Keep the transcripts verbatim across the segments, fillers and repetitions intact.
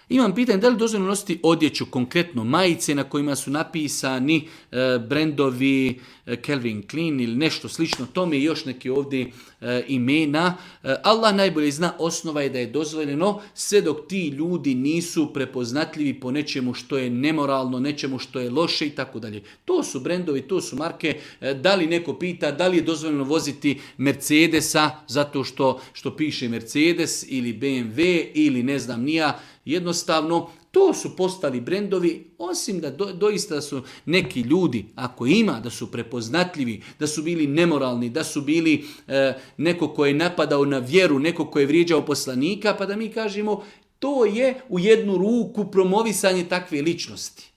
Imam pitanje da li dozvoljeno nositi odjeću, konkretno majice na kojima su napisani e, brendovi e, Calvin Klein ili nešto slično tome i još neke ovdje e, imena. E, Allah najbolje zna, osnova je da je dozvoljeno sve dok ti ljudi nisu prepoznatljivi po nečemu što je nemoralno, nečemu što je loše i tako dalje. To su brendovi, to su marke. E, da li neko pita da li je dozvoljeno voziti Mercedesa zato što, što piše Mercedes ili B M W ili ne znam nija. Jednostavno, to su postali brendovi, osim da do, doista su neki ljudi, ako ima, da su prepoznatljivi, da su bili nemoralni, da su bili e, neko ko je napadao na vjeru, neko ko je vrijeđao poslanika, pa da mi kažemo to je u jednu ruku promovisanje takve ličnosti.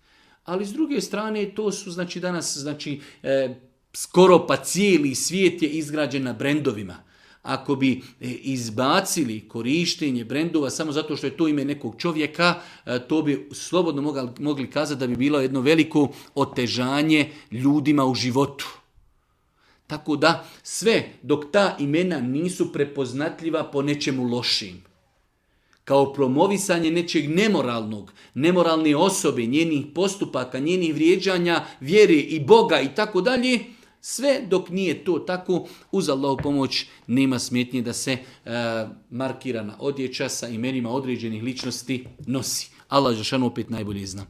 Ali s druge strane, to su znači danas znači e, skoro pa cijeli svijet je izgrađen na brendovima. Ako bi izbacili korištenje brendova samo zato što je to ime nekog čovjeka, to bi slobodno mogli kazati da bi bilo jedno veliko otežanje ljudima u životu. Tako da sve dok ta imena nisu prepoznatljiva po nečemu lošim, kao promovisanje nečeg nemoralnog, nemoralne osobe, njenih postupaka, njenih vrijeđanja, vjere i Boga i tako dalje, sve dok nije to tako, uz Allahu pomoć nema smetnje da se e, markirana odjeća sa imenima određenih ličnosti nosi. Allah dželešanu opet najbolje zna.